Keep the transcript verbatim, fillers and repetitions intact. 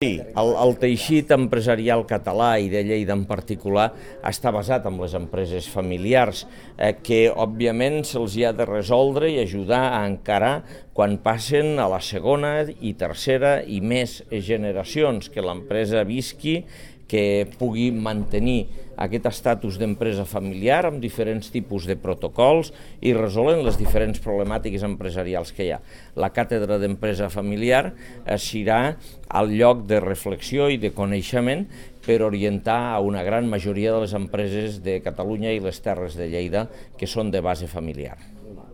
Sí, el, el teixit empresarial català i de Lleida en particular està basat en les empreses familiars eh, que òbviament se'ls ha de resoldre i ajudar a encarar quan passen a la segona i tercera i més generacions, que l'empresa visqui, que pugui mantenir aquest estatus d'empresa familiar amb diferents tipus de protocols i resolen les diferents problemàtiques empresarials que hi ha. La càtedra d'empresa familiar serà el lloc de reflexió i de coneixement per orientar a una gran majoria de les empreses de Catalunya i les Terres de Lleida que són de base familiar.